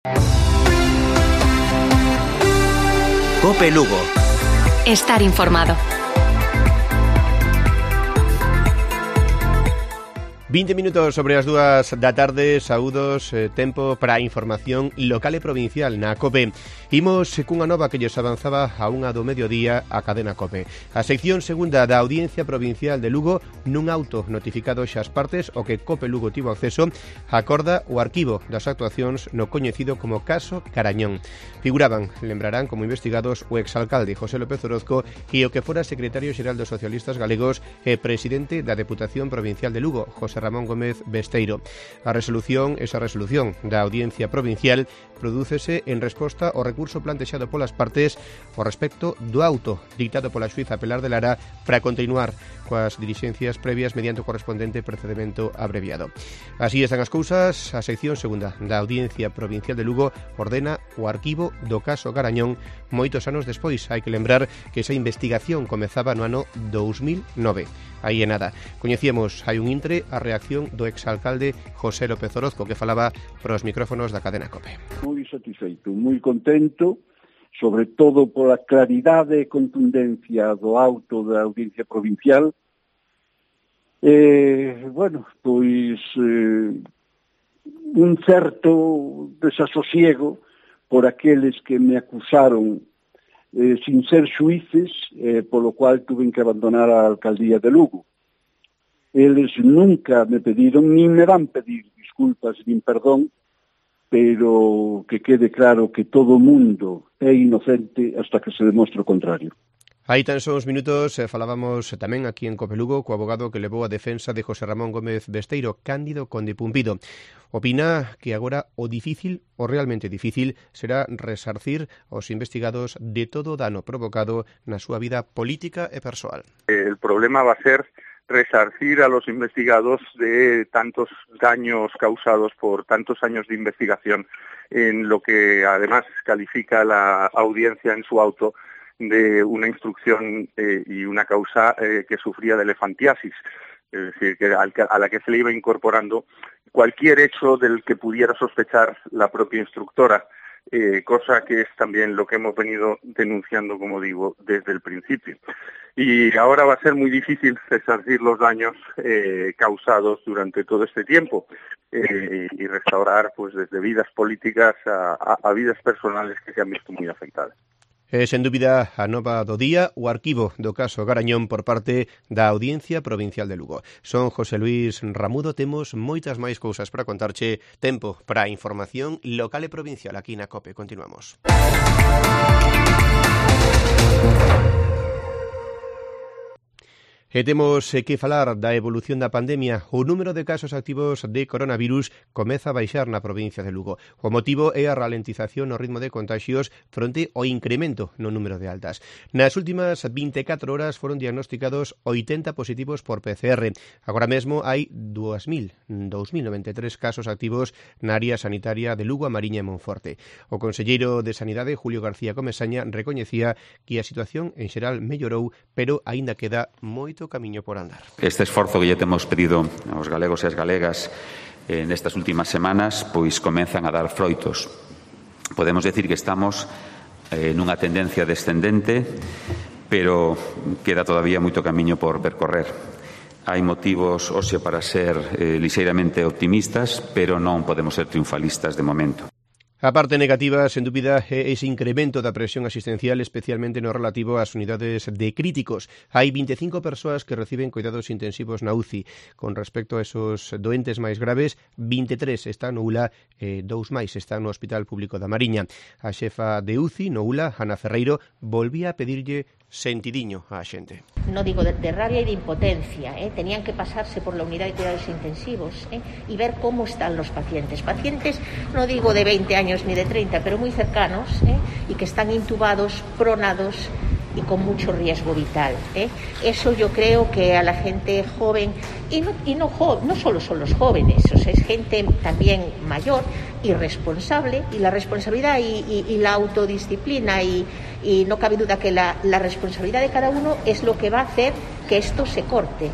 COPE Lugo. Estar informado. 20 minutos sobre as 2 da tarde, saúdos, tempo para a información local e provincial na COPE. Imos cunha nova que lles avanzaba a 1 do mediodía a cadena COPE. A sección segunda da Audiencia Provincial de Lugo, nun auto notificado xa as partes o que COPE Lugo tivo acceso, acorda o arquivo das actuacións no coñecido como caso Carañón. Figuraban, lembrarán como investigados o exalcalde José López Orozco e o que fora secretario xeral dos socialistas galegos e presidente da Deputación Provincial de Lugo, José Ramón Gómez Besteiro. Esa resolución da Audiencia Provincial prodúcese en resposta ao recurso plantexado polas partes ao respecto do auto dictado pola xuíza Pelar de Lara para continuar coas dilixencias previas mediante o correspondente procedimento abreviado. Así están as cousas. A sección segunda da Audiencia Provincial de Lugo ordena o arquivo do caso Carañón moitos anos despois. Hai que lembrar que esa investigación comezaba no ano 2009. Aí é nada. Coñecíamos hai un intre a reacción do exalcalde José López Orozco, que falaba pros micrófonos da cadena COPE. Moi satisfeito, moi contento, sobre todo pola claridade e contundencia do auto da Audiencia Provincial. Un certo desasosiego por aqueles que me acusaron sin ser xuíces, polo cual tuve que abandonar a alcaldía de Lugo. Eles nunca me pediron, nin me van pedir disculpas, nin perdón, pero que quede claro que todo o mundo é inocente hasta que se demostre o contrario. Aí tan só uns minutos falábamos tamén aquí en COPE Lugo co abogado que levou a defensa de José Ramón Gómez Besteiro, Cándido Conde Pumpido. Opina que agora o realmente difícil será resarcir aos investigados de todo o dano provocado na súa vida política e persoal. El problema va a ser resarcir a los investigados de tantos daños causados por tantos años de investigación en lo que además califica la audiencia en su auto de una instrucción y una causa que sufría de elefantiasis, es decir, que a la que se le iba incorporando cualquier hecho del que pudiera sospechar la propia instructora, cosa que es también lo que hemos venido denunciando, como digo, desde el principio. Y ahora va a ser muy difícil resarcir los daños causados durante todo este tiempo y restaurar pues desde vidas políticas a vidas personales que se han visto muy afectadas. Sen dúbida a nova do día, o arquivo do caso Carañón por parte da Audiencia Provincial de Lugo. Son José Luis Ramudo, temos moitas máis cousas para contarche. Tempo para a información local e provincial aquí na COPE. Continuamos. E temos que falar da evolución da pandemia. O número de casos activos de coronavirus comeza a baixar na provincia de Lugo. O motivo é a ralentización no ritmo de contagios fronte ao incremento no número de altas. Nas últimas 24 horas foron diagnosticados 80 positivos por PCR. Agora mesmo hai 2.093 casos activos na área sanitaria de Lugo, A Mariña e Monforte. O conselleiro de Sanidade, Julio García Comesaña, recoñecía que a situación en xeral mellorou, pero aínda queda moito camiño por andar. Este esforzo que lle temos pedido aos galegos e as galegas nestas últimas semanas, pois comenzan a dar froitos. Podemos decir que estamos nunha tendencia descendente, pero queda todavía moito camiño por percorrer. Hai motivos hoxe para ser lixeiramente optimistas, pero non podemos ser triunfalistas de momento. A parte negativa, sen dúbida, é ese incremento da presión asistencial, especialmente no relativo ás unidades de críticos. Hai 25 persoas que reciben cuidados intensivos na UCI. Con respecto a esos doentes máis graves, 23 están no ULA e 2 máis están no Hospital Público da Mariña. A xefa de UCI no ULA, Ana Ferreiro, volvía a pedirlle sentidiño á xente. No digo de rabia y de impotencia, tenían que pasarse por la unidad de cuidados intensivos y ver cómo están los pacientes. Pacientes, no digo de 20 años ni de 30, pero muy cercanos y que están intubados, pronados y con mucho riesgo vital. Eso yo creo que a la gente joven, no solo son los jóvenes, o sea, es gente también mayor y responsable, y la responsabilidad y la autodisciplina y no cabe duda que la responsabilidad de cada uno es lo que va a hacer que esto se corte.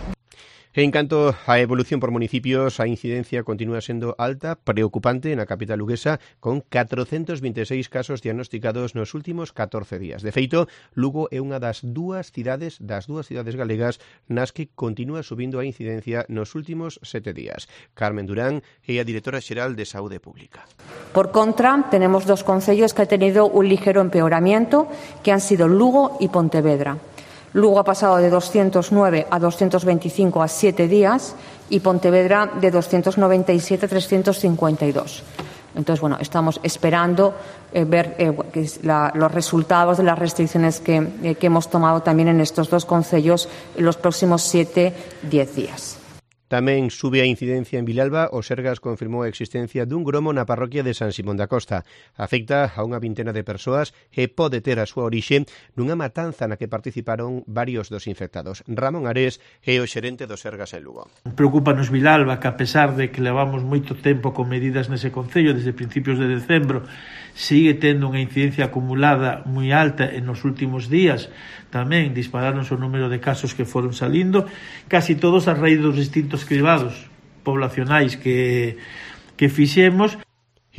En canto á evolución por municipios, a incidencia continúa sendo alta, preocupante na capital luguesa, con 426 casos diagnosticados nos últimos 14 días. De feito, Lugo é unha das dúas cidades galegas nas que continúa subindo a incidencia nos últimos 7 días. Carmen Durán é a directora xeral de Saúde Pública. Por contra, tenemos dos concellos que han tenido un ligero empeoramiento, que han sido Lugo y Pontevedra. Lugo ha pasado de 209 a 225 a 7 días y Pontevedra de 297 a 352. Entonces, bueno, estamos esperando ver los resultados de las restricciones que hemos tomado también en estos dos concellos en los próximos 7-10 días. Tamén sube a incidencia en Vilalba. O Sergas confirmou a existencia dun gromo na parroquia de San Simón da Costa. Afecta a unha vintena de persoas e pode ter a súa orixe nunha matanza na que participaron varios dos infectados. Ramón Ares é o xerente do Sergas en Lugo. Preocúpanos Vilalba, que a pesar de que levamos moito tempo con medidas nese concello desde principios de decembro, sigue tendo unha incidencia acumulada moi alta en os últimos días. Tamén dispararonse o número de casos que foron salindo, casi todos a raíz dos distintos cribados poblacionais que fixemos.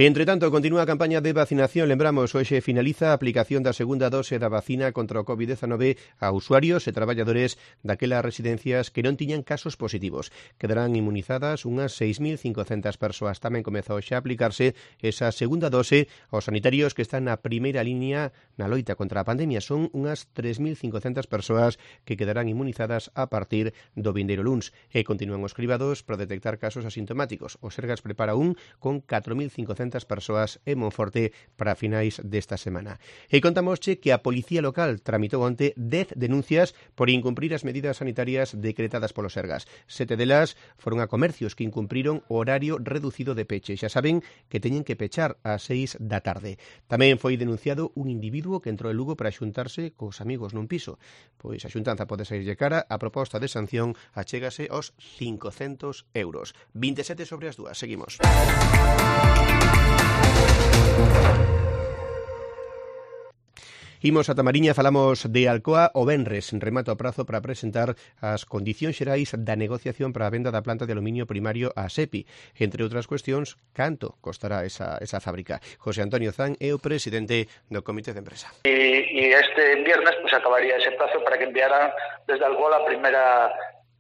Entre tanto, continúa a campaña de vacinación. Lembramos, hoxe finaliza a aplicación da segunda dose da vacina contra o COVID-19 a usuarios e traballadores daquelas residencias que non tiñan casos positivos. Quedarán inmunizadas unhas 6.500 persoas. Tamén comezou xa a aplicarse esa segunda dose aos sanitarios que están na primeira línea na loita contra a pandemia. Son unhas 3.500 persoas que quedarán inmunizadas a partir do vindeiro luns. E continúan os cribados para detectar casos asintomáticos. O Sergas prepara un con 4.500 persoas en Monforte para finais desta semana. E contamosche que a Policía Local tramitou onte 10 denuncias por incumprir as medidas sanitarias decretadas polo Sergas. 7 delas foron a comercios que incumpriron o horario reducido de peche. Xa saben que teñen que pechar ás 6 da tarde. Tamén foi denunciado un individuo que entrou en Lugo para xuntarse cos amigos nun piso. Pois a xuntanza pode saírlle cara. A proposta de sanción achégase aos 500 euros. 27 sobre as 2. Seguimos. Imos a Tamariña, falamos de Alcoa. O venres remata o prazo para presentar as condicións xerais da negociación para a venda da planta de aluminio primario a SEPI. Entre outras cuestións, canto costará esa fábrica. José Antonio Zan é o presidente do Comité de Empresa. Y este viernes pues acabaría ese plazo para que enviaran desde Alcoa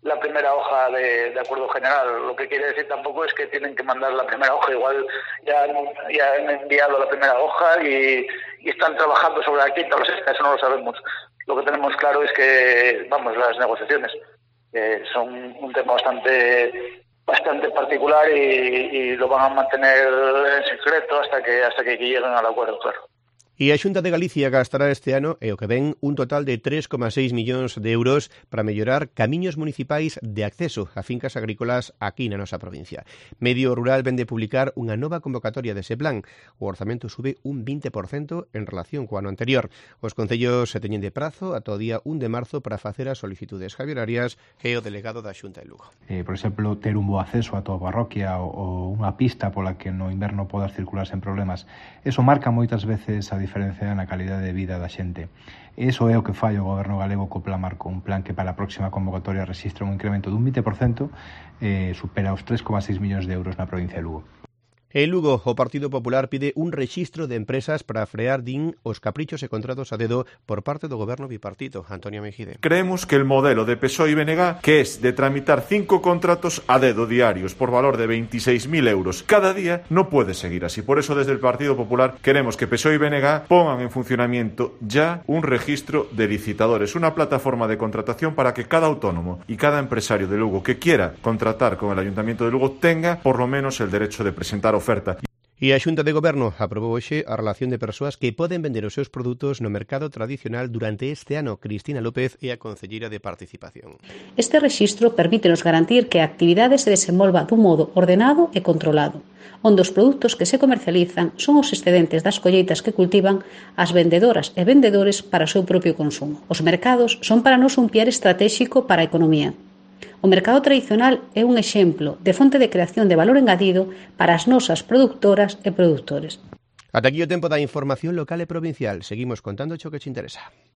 la primera hoja de acuerdo general. Lo que quiere decir tampoco es que tienen que mandar la primera hoja, igual ya han enviado la primera hoja y están trabajando sobre la quinta o la sexta, eso no lo sabemos. Lo que tenemos claro es que, las negociaciones son un tema bastante particular y lo van a mantener en secreto hasta que lleguen al acuerdo, claro. E a Xunta de Galicia gastará este ano, e o que ven, un total de 3,6 millóns de euros para mellorar camiños municipais de acceso a fincas agrícolas aquí na nosa provincia. Medio Rural vende publicar unha nova convocatoria dese plan. O orzamento sube un 20% en relación co ano anterior. Os concellos se teñen de prazo ata o día 1 de marzo para facer as solicitudes. Javier Arias é o delegado da Xunta de Lugo. Por exemplo, ter un bo acceso a toda a parroquia ou unha pista pola que no inverno podas circular sen problemas. Eso marca moitas veces a diferencia na calidade de vida da xente. Iso é o que fai o goberno galego co Plan Marco, un plan que para a próxima convocatoria rexistra un incremento dun 20%, supera os 3,6 millóns de euros na provincia de Lugo. En Lugo, o Partido Popular pide un rexistro de empresas para frear, os caprichos e contratos a dedo por parte do goberno bipartito. Antonio Mejide. Creemos que el modelo de PSOE y BNG, que es de tramitar 5 contratos a dedo diarios por valor de 26.000 euros cada día, no puede seguir así. Por eso, desde el Partido Popular, queremos que PSOE y BNG pongan en funcionamiento ya un registro de licitadores, una plataforma de contratación para que cada autónomo y cada empresario de Lugo que quiera contratar con el Ayuntamiento de Lugo tenga por lo menos el derecho de presentar oferta. E a Xunta de Goberno aprobou hoxe a relación de persoas que poden vender os seus produtos no mercado tradicional durante este ano. Cristina López é a concelleira de Participación. Este rexistro permítenos garantir que a actividade se desenvolva dun modo ordenado e controlado, onde os produtos que se comercializan son os excedentes das colleitas que cultivan as vendedoras e vendedores para o seu propio consumo. Os mercados son para nós un piar estratéxico para a economía. O mercado tradicional é un exemplo de fonte de creación de valor engadido para as nosas produtoras e produtores. Ata aquí o tempo da información local e provincial. Seguimos contando o que te interesa.